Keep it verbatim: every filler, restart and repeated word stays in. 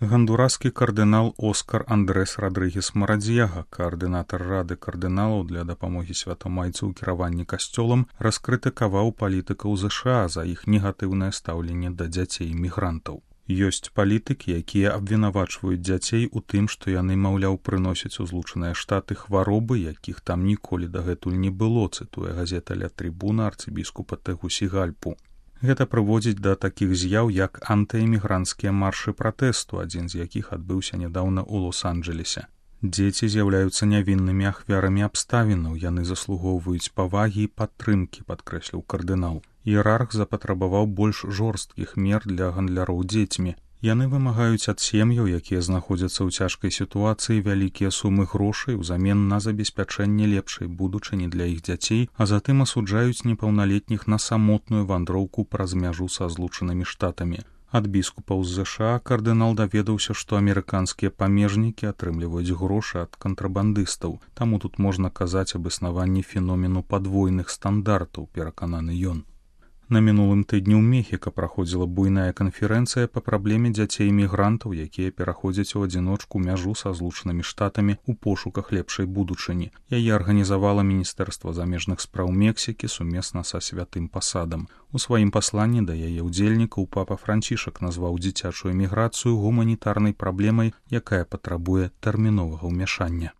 Гондураскі кардынал Оскар Андрес Родригес Марадьяга, каардынатар Рады кардыналаў для дапамогі святамайцу ў кіраванні касцёлам, раскрытыкаваў палітыкаў ЗША за іх негатыўнае стаўленне да дзяцей-мігрантаў. Ёсць палітыкі, якія абвінавачваюць дзяцей у тым, што яны, маўляў, прыносяць у Злучаныя Штаты хваробы, якіх там ніколі дагэтуль не было, цытуе газета «Ля Трибуна» арцыбіскупа Тегусігальпу. Гэта прыводзіць да такіх з'яў, як антыэмігранцкія маршы пратэсту, адзін з якіх адбыўся нядаўна ў Лос-Анджэлесе. Дзеці з'яўляюцца нявіннымі ахвярамі абставінаў, яны заслугоўваюць павагі і падтрымкі, падкрэсліў кардынал. Іерарх запатрабаваў больш жорсткіх мер для гандляроў дзецьмі. Яны вымагаюць ад сем'яў, якія знаходзяцца ў цяжкай сітуацыі, вялікія сумы грошай узамен на забеспячэнне лепшай будучыні для іх дзяцей, а затым асуджаюць непаўналетніх на самотную вандроўку праз мяжу са Злучанымі Штатамі. Ад біскупаў з ЗША кардынал даведаўся, што амерыканскія памежнікі атрымліваюць грошы ад кантрабандыстаў, таму тут можна казаць аб існаванні феномену падвойных стандартаў, перакананы ён. На мінулым тыдні ў Мехіка праходзіла буйная канферэнцыя па праблеме дзяцей-мігрантаў, якія пераходзяць у адзіночку мяжу са Злучанымі Штатамі ў пошуках лепшай будучыні. Яе арганізавала Міністэрства замежных спраў Мексікі сумесна са святым пасадам. У сваім пасланні да яе ўдзельнікаў папа Францішак назваў дзіцячую міграцыю гуманітарнай праблемай, якая патрабуе тэрміновага ўмяшання.